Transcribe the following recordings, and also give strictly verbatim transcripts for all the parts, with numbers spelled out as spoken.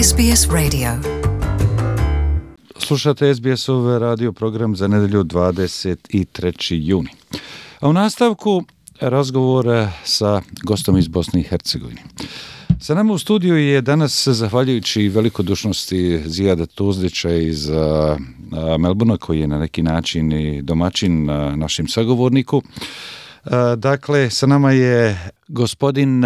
S B S Radio. Slušate S B S-ov radio program za nedjelju dvadeset trećeg juna. A u nastavku razgovor sa gostom iz Bosne i Hercegovine. Sa nama u studiju je danas, zahvaljujući velikodušnosti Zijada Tuzdića iz Melbourna, koji je na neki način i domaćin našim sagovorniku. Dakle, sa nama je gospodin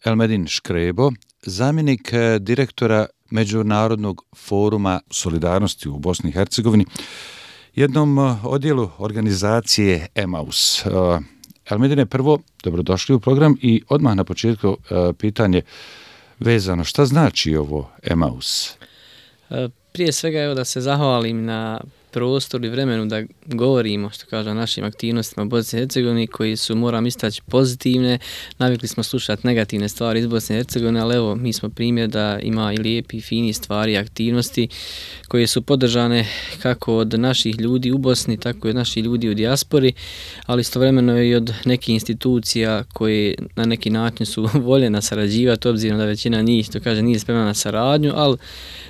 Elmedin Škrebo, zamjenik direktora Međunarodnog foruma solidarnosti u Bosni i Hercegovini, jednom odjelu organizacije Emaus. Elmedine, prvo, dobrodošli u program i odmah na početku pitanje vezano, šta znači ovo Emaus? Prije svega, evo, da se zahvalim na prostor i vremenu da govorimo, što kaže, o našim aktivnostima u Bosni i Hercegovini, koji su, moram istaći, pozitivne. Navikli smo slušati negativne stvari iz Bosne i Hercegovine, ali evo, mi smo primjer da ima i lijepi, fini stvari i aktivnosti koje su podržane kako od naših ljudi u Bosni, tako i od naših ljudi u dijaspori, ali istovremeno i od nekih institucija koje na neki način su voljena sarađivati, obzirom da većina njih, to kaže, nije spremna na saradnju, ali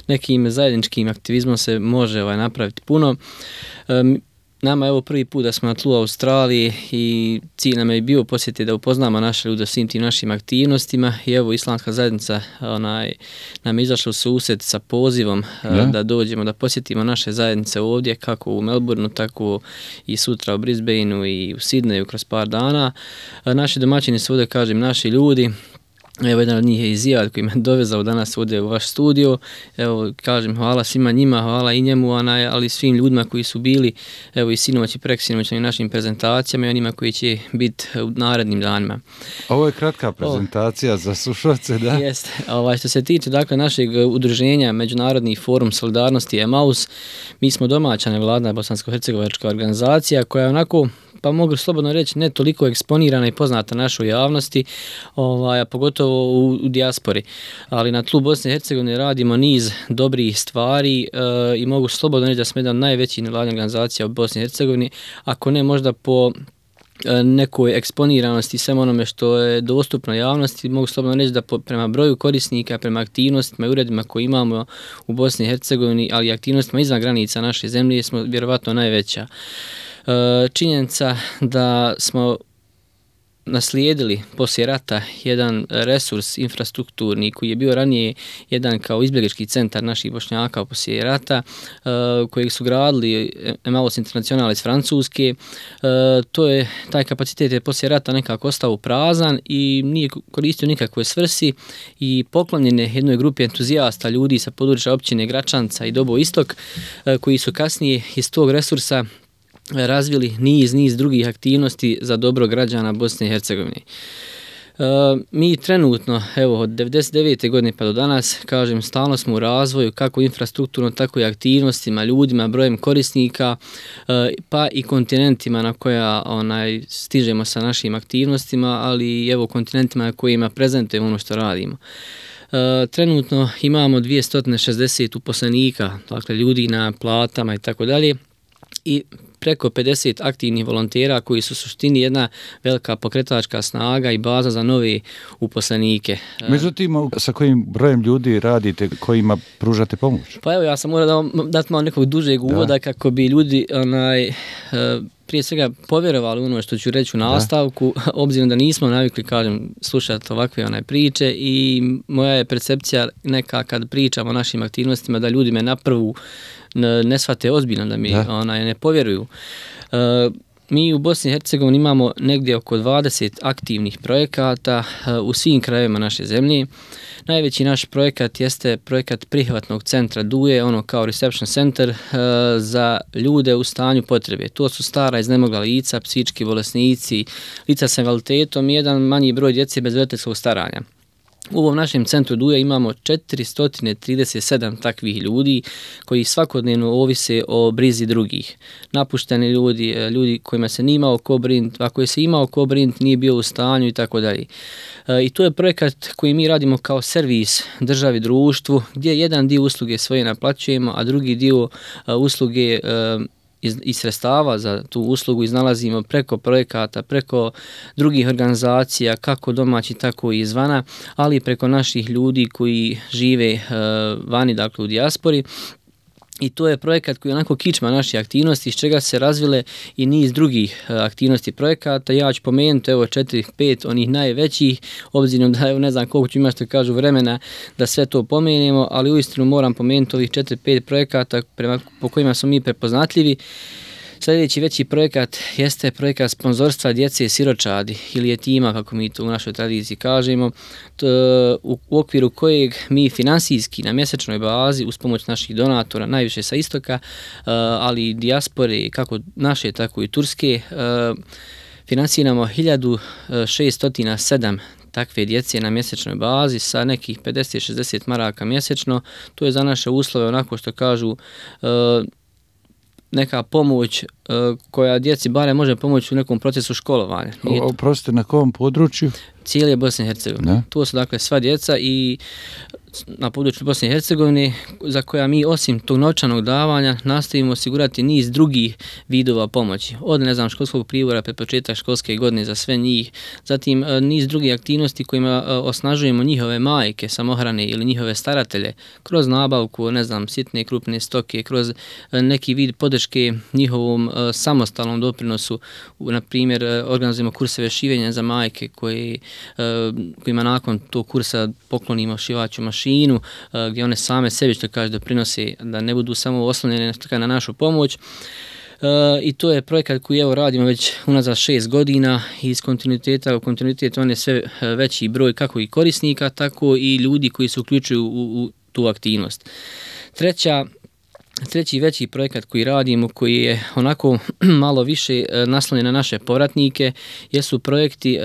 nekim zajedničkim aktivizmom se može ovaj, napraviti puno. Um, nama je ovo prvi put da smo na tlu Australije i cilj nam je bio posjetiti da upoznamo naše ljude svim tim našim aktivnostima i evo islamska zajednica onaj, nam je izašla u susret sa pozivom ja. da dođemo da posjetimo naše zajednice ovdje, kako u Melbourneu, tako i sutra u Brisbaneu i u Sydneyu kroz par dana. Naši domaćini su ovdje, kažem, naši ljudi. Evo, jedan od njih je i Zijad koji me dovezao danas ovdje u vaš studio. Evo, kažem, hvala svima njima, hvala i njemu, ali svim ljudima koji su bili, evo, i sinoć i preksinoć na našim prezentacijama i onima koji će biti u narednim danima. Ovo je kratka prezentacija o, za slušalce, da? Jeste. Ovaj, što se tiče, dakle, našeg udruženja Međunarodni forum solidarnosti Emaus, mi smo domaća nevladna bosansko-hercegovačka organizacija koja je onako, pa mogu slobodno reći, ne toliko eksponirana i poznata našoj javnosti, ovaj, a pogotovo u, u dijaspori. Ali na tlu Bosne i Hercegovine radimo niz dobrih stvari e, i mogu slobodno reći da smo jedan najveći nevladna organizacija u Bosni i Hercegovini, ako ne možda po e, nekoj eksponiranosti svem onome što je dostupno javnosti, mogu slobodno reći da po, prema broju korisnika, prema aktivnostima i uredima koje imamo u Bosni i Hercegovini, ali i aktivnostima izvan granica naše zemlje, smo vjerovatno najveća. Činjenica da smo naslijedili poslije rata jedan resurs infrastrukturni koji je bio ranije jedan kao izbjeglički centar naših Bošnjaka poslije rata, kojeg su gradili Emaus Internacional iz Francuske. To je, taj kapacitet je poslije rata nekako ostao prazan i nije koristio nikakve svrsi i poklonjen je jednoj grupi entuzijasta ljudi sa područja općine Gračanca i Dobo Istok, koji su kasnije iz tog resursa razvili niz, niz drugih aktivnosti za dobro građana Bosne i Hercegovine. E, mi trenutno, evo, od devedeset devete godine pa do danas, kažem, stalno smo u razvoju, kako infrastrukturno, tako i aktivnostima, ljudima, brojem korisnika, e, pa i kontinentima na koja onaj, stižemo sa našim aktivnostima, ali evo kontinentima na kojima prezentujemo ono što radimo. E, trenutno imamo dvjesto šezdeset uposlenika, dakle ljudi na platama i tako dalje, i preko pedeset aktivnih volontera koji su u suštini jedna velika pokretačka snaga i baza za nove uposlenike. Međutim, sa kojim brojem ljudi radite, kojima pružate pomoć? Pa evo, ja sam morao da dati malo nekog dužeg uvoda da. kako bi ljudi onaj, prije svega povjerovali ono što ću reći u nastavku, da. obzirom da nismo navikli, kažem, slušati ovakve onaj priče i moja je percepcija neka kad pričamo o našim aktivnostima da ljudi me na prvu ne shvate ozbiljno, da mi da. Onaj, ne povjeruju. E, mi u Bosni i Hercegovini imamo negdje oko dvadeset aktivnih projekata e, u svim krajevima naše zemlje. Najveći naš projekat jeste projekat prihvatnog centra Duje, ono kao reception center e, za ljude u stanju potrebe. To su stara iznemogla lica, psihički bolesnici, lica sa invaliditetom i jedan manji broj djece bez roditeljskog staranja. U ovom našem centru Duje imamo četiristo trideset sedam takvih ljudi koji svakodnevno ovise o brizi drugih. Napušteni ljudi, ljudi kojima se nije imao ko brinuti, a koji se imao ko brinuti nije bio u stanju i tako dalje. I to je projekat koji mi radimo kao servis državi, društvu, gdje jedan dio usluge svoje naplaćujemo, a drugi dio usluge iz, iz sredstava za tu uslugu iznalazimo preko projekata, preko drugih organizacija, kako domaći, tako i izvana, ali i preko naših ljudi koji žive uh, vani, dakle u dijaspori. I to je projekat koji je onako kičma naše aktivnosti, iz čega se razvile i niz drugih aktivnosti projekata. Ja ću pomenuti evo četiri, pet onih najvećih, obzirom da evo ne znam koliko ću imati što kažu vremena da sve to pomenemo, ali uistinu moram pomenuti ovih četiri, pet projekata prema, po kojima smo mi prepoznatljivi. Sljedeći veći projekat jeste projekat sponzorstva djece siročadi ili jetima, kako mi to u našoj tradiciji kažemo, to, u, u okviru kojeg mi finansijski na mjesečnoj bazi uz pomoć naših donatora, najviše sa istoka, ali i dijaspore, kako naše, tako i turske, finansiramo hiljadu šessto sedam takve djece na mjesečnoj bazi sa nekih pedeset do šezdeset maraka mjesečno. To je za naše uslove onako što kažu neka pomoć uh, koja djeci bare može pomoći u nekom procesu školovanja. Oprostite, na kom području? Cijele Bosne i Hercegovine. To su dakle sva djeca i na području Bosne i Hercegovine za koja mi osim tog novčanog davanja nastavimo osigurati niz drugih vidova pomoći. Od ne znam školskog pribora pred početak školske godine za sve njih, zatim niz drugih aktivnosti kojima osnažujemo njihove majke, samohrane ili njihove staratelje kroz nabavku, ne znam, sitne krupne stoke, kroz neki vid podrške njihovom samostalnom doprinosu. Na primjer, organizujemo kurseve šivenja za majke koji, kojima nakon tog kursa poklonimo šivaću mašinu mašinu, gdje one same sebi, što kaže, doprinose da ne budu samo oslonjene na našu pomoć. Uh, i to je projekat koji evo radimo već unazad šest godina i iz kontinuiteta u kontinuitet on je sve veći broj kako i korisnika, tako i ljudi koji se uključuju u, u tu aktivnost. Treća Treći veći projekat koji radimo, koji je onako malo više naslonjen na naše povratnike, jesu projekti uh,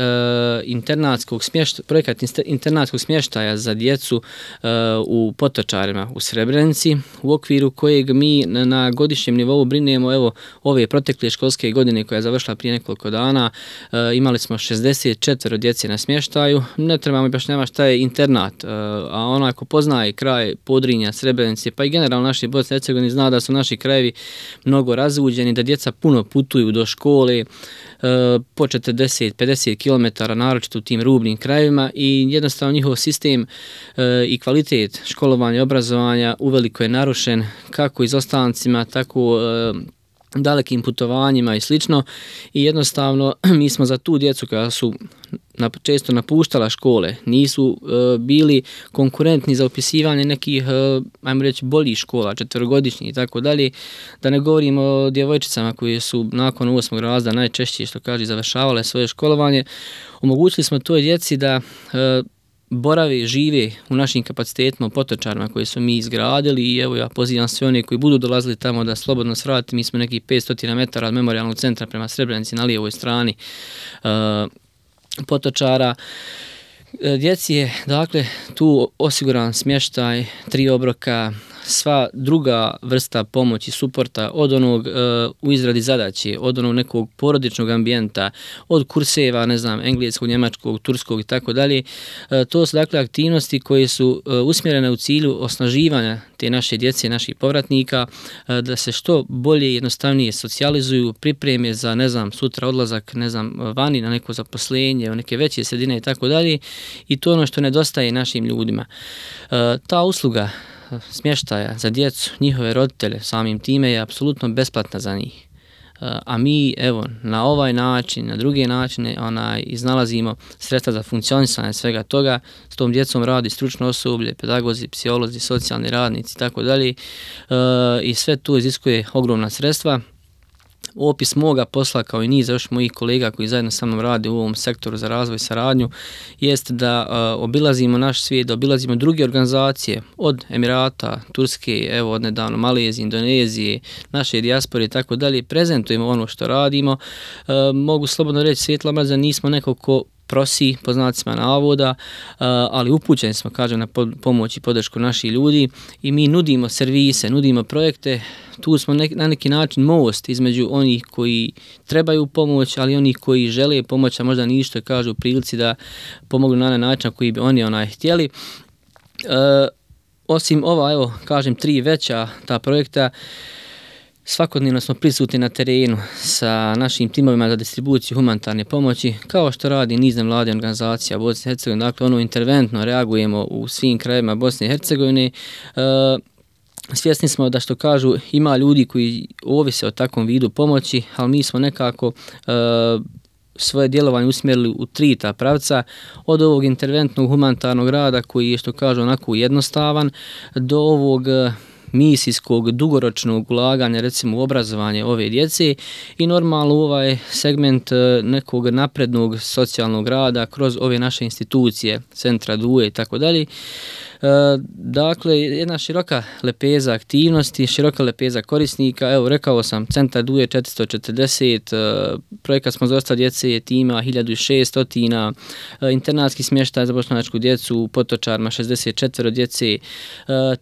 internatskog smještaja, projekat internatskog smještaja za djecu uh, u Potočarima u Srebrenici, u okviru kojeg mi na, na godišnjem nivou brinemo. Evo ove protekle školske godine koja je završila prije nekoliko dana, uh, imali smo šezdeset četiri djece na smještaju. Ne trebamo baš nema šta je internat, uh, a onaj ko poznaje kraj Podrinja, Srebrenice, pa i generalno naše Bosne i Hercegovine zna da su naši krajevi mnogo razvuđeni, da djeca puno putuju do škole e, po četrdeset do pedeset kilometara, naročito u tim rubnim krajevima, i jednostavno njihov sistem e, i kvalitet školovanja i obrazovanja uveliko je narušen, kako izostancima, tako e, dalekim putovanjima i slično, i jednostavno mi smo za tu djecu koja su na, često napuštala škole, nisu e, bili konkurentni za upisivanje nekih, e, ajmo reći, boljih škola, četverogodišnjih i tako dalje, da ne govorimo o djevojčicama koje su nakon osmog razreda najčešće, što kaže, završavale svoje školovanje. Omogućili smo toj djeci da e, borave, žive u našim kapacitetima u Potočarima koje su mi izgradili, i evo ja pozivam sve one koji budu dolazili tamo da slobodno svrati. Mi smo nekih petsto metara od memorijalnog centra prema Srebrenici na lijevoj strani uh, Potočara. Djeci je dakle tu osiguran smještaj, tri obroka, sva druga vrsta pomoći, suporta, od onog uh, u izradi zadaće, od onog nekog porodičnog ambijenta, od kurseva, ne znam, engleskog, njemačkog, turskog i tako dalje. To su dakle aktivnosti koje su uh, usmjerene u cilju osnaživanja te naše djece, naših povratnika, uh, da se što bolje i jednostavnije socijalizuju, pripreme za, ne znam, sutra odlazak, ne znam, vani na neko zaposlenje, u neke veće sredine i tako dalje. I to je ono što nedostaje našim ljudima. Uh, ta usluga smještaja za djecu, njihove roditelje, samim time je apsolutno besplatna za njih. A mi, evo, na ovaj način, na druge načine, onaj, iznalazimo sredstva za funkcionisanje svega toga. S tom djecom radi stručno osoblje, pedagozi, psiholozi, socijalni radnici i tako dalje. I sve to iziskuje ogromna sredstva. Opis moga posla, kao i niz još mojih kolega koji zajedno sa mnom rade u ovom sektoru za razvoj i saradnju, jest da uh, obilazimo naš svijet, da obilazimo druge organizacije od Emirata, Turske, evo od nedavno Malezije, Indonezije, naše dijaspore i tako dalje, prezentujemo ono što radimo. Uh, mogu slobodno reći, Svjetla mreža nismo neko ko prosi, po znacima navoda, ali upućeni smo, kažem, na pomoć i podršku naših ljudi, i mi nudimo servise, nudimo projekte. Tu smo na neki način most između onih koji trebaju pomoć, ali onih koji žele pomoć, a možda ništa kažu u prilici da pomognu na način koji bi oni onaj htjeli. E, osim ova, evo, kažem, tri veća ta projekta, svakodnevno smo prisutni na terenu sa našim timovima za distribuciju humanitarne pomoći, kao što radi niz nevladinih organizacija Bosne i Hercegovine, dakle ono interventno reagujemo u svim krajevima Bosne i Hercegovine. E, Svjesni smo da, što kažu, ima ljudi koji ovise o takvom vidu pomoći, ali mi smo nekako e, svoje djelovanje usmjerili u tri ta pravca, od ovog interventnog humanitarnog rada koji je, što kažu, onako jednostavan, do ovog misijskog dugoročnog ulaganja, recimo u obrazovanje ove djece, i normalno ovaj segment nekog naprednog socijalnog rada kroz ove naše institucije, centra D U E i tako dalje. Dakle, jedna široka lepeza aktivnosti, široka lepeza korisnika. Evo, rekao sam, centar D U E četiristo četrdeset, projekat smo za dosta djece je tima hiljadu šesto, internatski smještaj za bošnjačku djecu u Potočarima šezdeset četiri djece,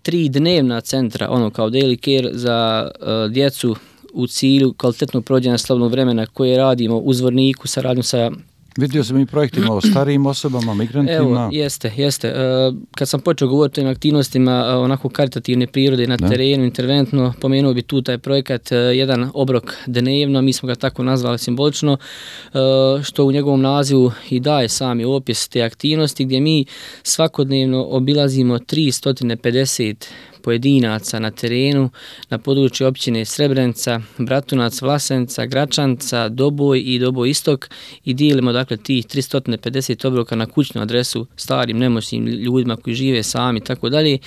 tri dnevna centra, ono kao daily care za djecu u cilju kvalitetnog provođenja slobodnog vremena koje radimo u Zvorniku, saradnju sa... Vidio sam i projektima o starijim osobama, migrantima. Evo, jeste, jeste. Kad sam počeo govoriti o tim aktivnostima onako karitativne prirode na ne. terenu, interventno, pomenuo bi tu taj projekat jedan obrok dnevno, mi smo ga tako nazvali simbolično, što u njegovom nazivu i daje sami opis te aktivnosti, gdje mi svakodnevno obilazimo tristo pedeset pojedinaca na terenu na području općine Srebrenica, Bratunac, Vlasenica, Gračanca, Doboj i Doboj Istok i dijelimo dakle tih tristo pedeset obroka na kućnu adresu starim, nemoćnim ljudima koji žive sami i tako dalje.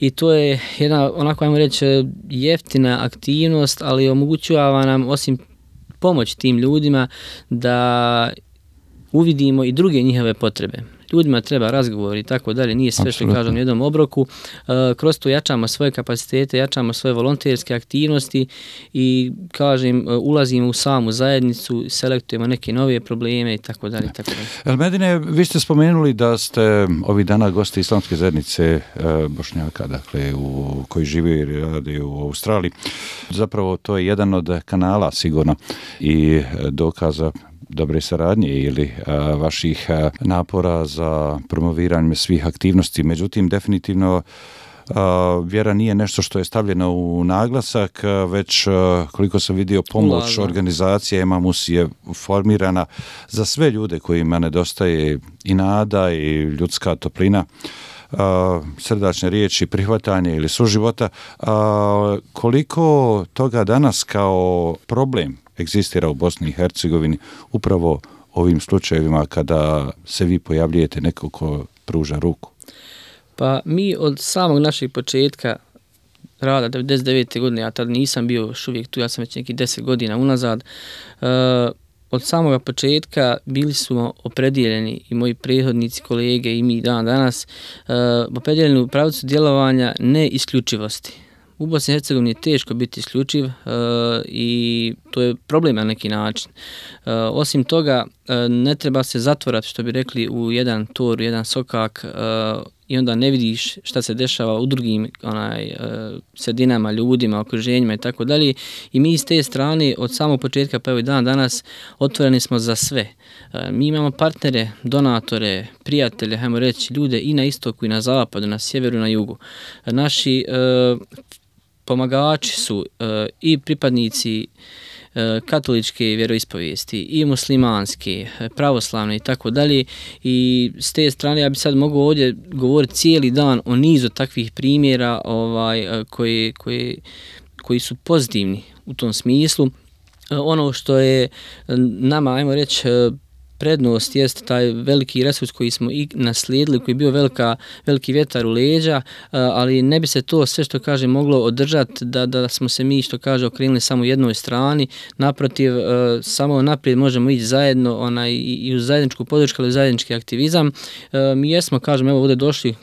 I to je jedna, onako ajmo reći, jeftina aktivnost, ali omogućava nam osim pomoć tim ljudima da uvidimo i druge njihove potrebe. Ljudima treba razgovor i tako dalje, nije sve što kažem u jednom obroku. E, kroz to jačamo svoje kapacitete, jačamo svoje volonterske aktivnosti i, kažem, ulazimo u samu zajednicu, selektujemo neke nove probleme i tako dalje. Elmedine, vi ste spomenuli da ste ovih dana gosti islamske zajednice e, Bošnjaka, dakle, u, koji živi i radi u Australiji. Zapravo to je jedan od kanala sigurno i dokaza dobre saradnje ili a, vaših a, napora za promoviranje svih aktivnosti. Međutim, definitivno a, vjera nije nešto što je stavljeno u naglasak, a, već a, koliko sam vidio pomoć Ulažno. organizacije Emamus je formirana za sve ljude kojima nedostaje i nada i ljudska toplina, a, srdačne riječi, prihvatanje ili suživota. A, koliko toga danas kao problem egzistira u Bosni i Hercegovini upravo ovim slučajevima kada se vi pojavljujete neko ko pruža ruku? Pa mi od samog našeg početka rada devedeset devete godine, ja tad nisam bio još uvijek tu, ja sam već neki deset godina unazad, uh, od samoga početka bili smo opredijeljeni i moji prethodnici, kolege i mi dan danas, uh, opredijeljeni u pravcu djelovanja ne isključivosti. U Bosni i Hercegovini je teško biti isključiv uh, i to je problem na neki način. Uh, osim toga, uh, ne treba se zatvorati, što bi rekli, u jedan tor, u jedan sokak uh, i onda ne vidiš šta se dešava u drugim onaj, uh, sredinama, ljudima, okruženjima i tako dalje. I mi iz te strane od samog početka pa evo i dan danas otvoreni smo za sve. Uh, mi imamo partnere, donatore, prijatelje, hajmo reći, ljude i na istoku i na zapadu, na sjeveru i na jugu. Uh, naši uh, pomagači su uh, i pripadnici uh, katoličke vjeroispovijesti i muslimanske, pravoslavne i tako dalje. I s te strane ja bi sad mogao ovdje govoriti cijeli dan o nizu takvih primjera ovaj, uh, koji, koji, koji su pozitivni u tom smislu. Uh, ono što je nama, ajmo reći, uh, prednost jest taj veliki resurs koji smo i naslijedili, koji je bio velika, veliki vjetar u leđa, ali ne bi se to sve što kaže moglo održati da, da smo se mi što kaže okrenuli samo jednoj strani. Naprotiv, samo naprijed možemo ići zajedno onaj, i u zajedničku podršku ili zajednički aktivizam. Mi jesmo, kažem, evo ovdje došli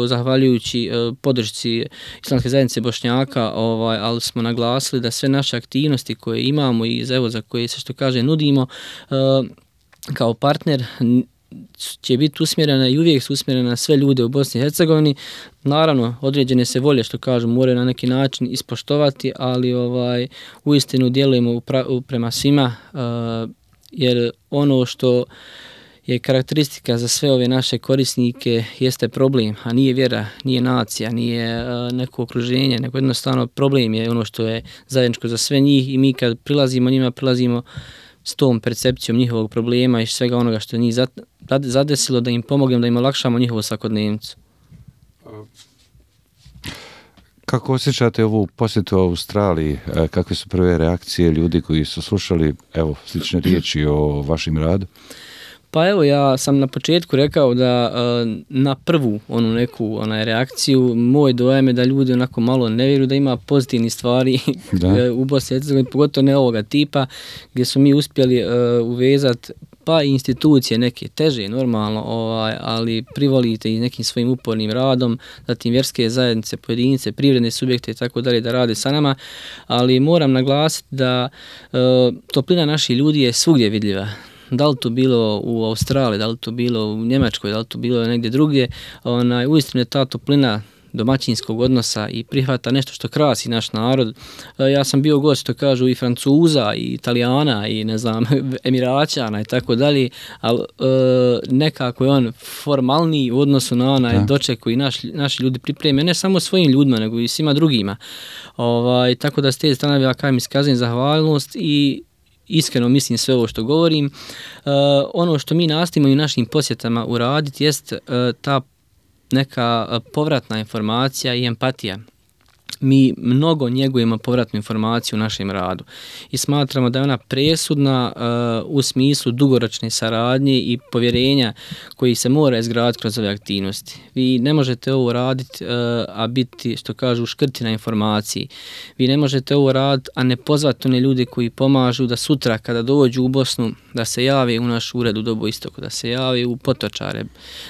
zahvaljujući podršci Islamske zajednice Bošnjaka, ovaj, ali smo naglasili da sve naše aktivnosti koje imamo i evo, za koje se što kaže nudimo kao partner će biti usmjerena i uvijek su usmjerena na sve ljude u Bosni i Hercegovini. Naravno, određene se volje, što kažu, moraju na neki način ispoštovati, ali ovaj uistinu djelujemo upra- prema svima, uh, jer ono što je karakteristika za sve ove naše korisnike jeste problem, a nije vjera, nije nacija, nije neko okruženje, nego jednostavno problem je ono što je zajedničko za sve njih i mi kad prilazimo njima, prilazimo s tom percepcijom njihovog problema i svega onoga što je njih zadesilo, da im pomognemo, da im olakšamo njihovu svakodnevnicu. Kako osjećate ovu posjetu u Australiji? Kakve su prve reakcije ljudi koji su slušali evo slične riječi o vašem radu? Pa evo, ja sam na početku rekao da na prvu onu neku onaj reakciju moj dojam je da ljudi onako malo ne vjeruju da ima pozitivnih stvari u Bosni i Hercegovini, pogotovo ne ovoga tipa gdje su mi uspjeli uvezati pa i institucije neke teže normalno, ovaj, ali privolite i nekim svojim upornim radom, zatim vjerske zajednice, pojedinice, privredne subjekte i tako dalje da rade sa nama, ali moram naglasiti da e, toplina naših ljudi je svugdje vidljiva. Da li to bilo u Australiji, da li to bilo u Njemačkoj, da li to bilo negdje drugdje, onaj, uistinu je ta toplina domaćinskog odnosa i prihvata nešto što krasi naš narod. Ja sam bio gost, što kažu, i Francuza, i Italijana, i ne znam, Emiraćana i tako dalje, ali e, nekako je on formalniji u odnosu na onaj doček koji naš, naši ljudi pripreme, ne samo svojim ljudima, nego i svima drugima. Ovaj, tako da s te strane ja kajem iskazujem zahvalnost i iskreno mislim sve ovo što govorim. E, ono što mi nastojimo i u našim posjetama uraditi jest e, ta neka povratna informacija i empatija. Mi mnogo njegujemo povratnu informaciju u našem radu i smatramo da je ona presudna uh, u smislu dugoročne saradnje i povjerenja koji se mora izgraditi kroz ove aktivnosti. Vi ne možete ovo raditi, uh, a biti, što kažu, škrti na informaciji. Vi ne možete ovo raditi, a ne pozvati one ljude koji pomažu da sutra kada dođu u Bosnu, da se jave u naš ured u Dobu Istoku, da se jave u Potočare,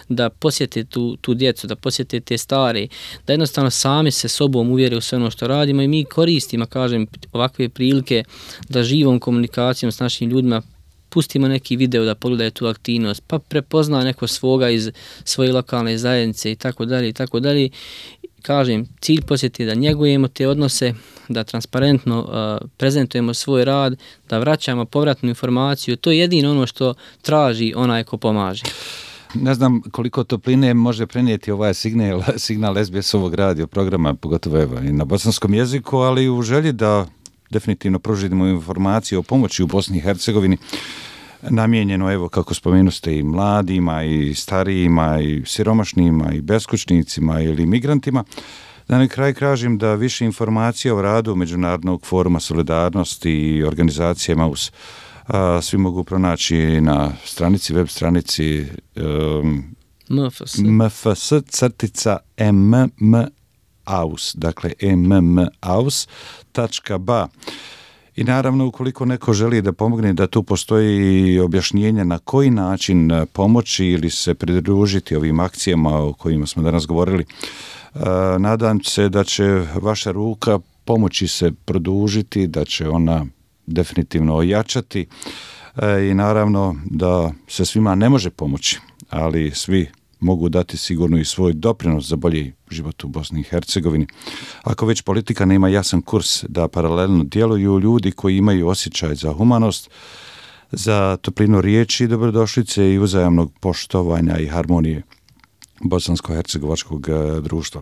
da posjete tu, tu djecu, da posjete te stare, da jednostavno sami se sobom uvjere u sve ono što radimo i mi koristimo, kažem, ovakve prilike da živom komunikacijom s našim ljudima pustimo neki video da pogledaju tu aktivnost, pa prepozna neko svoga iz svoje lokalne zajednice i tako dalje i tako dalje. Kažem, cilj posjeti je da njegujemo te odnose, da transparentno uh, prezentujemo svoj rad, da vraćamo povratnu informaciju. To je jedino ono što traži onaj ko pomaže. Ne znam koliko topline može prenijeti ovaj signal, signal S B S-ovog radio programa, pogotovo evo, i na bosanskom jeziku, ali u želji da definitivno pružimo informaciju o pomoći u Bosni i Hercegovini, namijenjeno, evo, kako spomenuste, i mladima, i starijima, i siromašnima, i beskućnicima ili migrantima. Da na kraj kažem da više informacija o radu Međunarodnog foruma solidarnosti i organizacije Emaus a, svi mogu pronaći na stranici, web stranici um, mfs crtica mmaus, dakle mmaus tačka ba. I naravno, ukoliko neko želi da pomogne, da tu postoji objašnjenje na koji način pomoći ili se pridružiti ovim akcijama o kojima smo danas govorili, nadam se da će vaša ruka pomoći se produžiti, da će ona definitivno ojačati i naravno da se svima ne može pomoći, ali svi mogu dati sigurno i svoj doprinos za bolji život u Bosni i Hercegovini. Ako već politika nema jasan kurs da paralelno djeluju ljudi koji imaju osjećaj za humanost, za toplinu riječi, dobrodošlice i uzajamnog poštovanja i harmonije bosansko-hercegovačkog društva.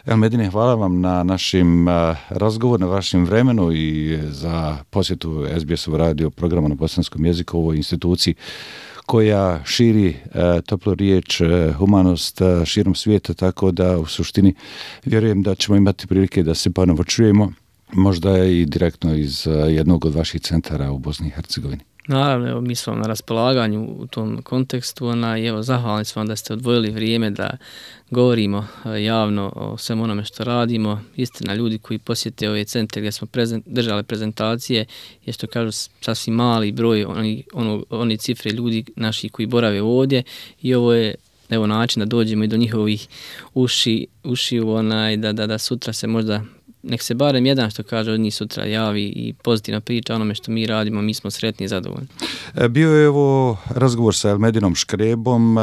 El Medine, hvala vam na našim razgovoru, na vašem vremenu i za posjetu S B S-ov radio programa na bosanskom jeziku u ovoj instituciji koja širi e, toplu riječ, e, humanost e, širom svijeta, tako da u suštini vjerujem da ćemo imati prilike da se ponovo čujemo, možda i direktno iz e, jednog od vaših centara u Bosni i Hercegovini. Naravno, evo, mi smo na raspolaganju u tom kontekstu, ona, i evo, zahvalni smo vam da ste odvojili vrijeme da govorimo javno o svem onome što radimo. Istina, ljudi koji posjete ove centre gdje smo prezent, držali prezentacije, je što kažu sasvim mali broj oni, ono, oni cifre ljudi naših koji borave ovdje i ovo je evo način da dođemo i do njihovih uši, uši onaj, da, da, da sutra se možda nek se barem jedan, što kaže, od njih sutra javi i pozitivno priča onome što mi radimo, mi smo sretni i zadovoljni. Bio je ovo razgovor sa Elmedinom Škrebom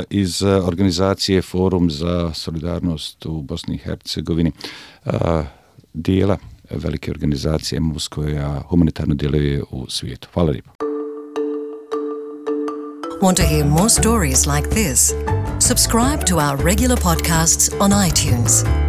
iz organizacije Forum za solidarnost u Bosni i Hercegovini, dijela velike organizacije Emaus koja humanitarno djeluje u svijetu. Hvala lijepo. Want to hear more stories like this? Subscribe to our regular podcasts on iTunes.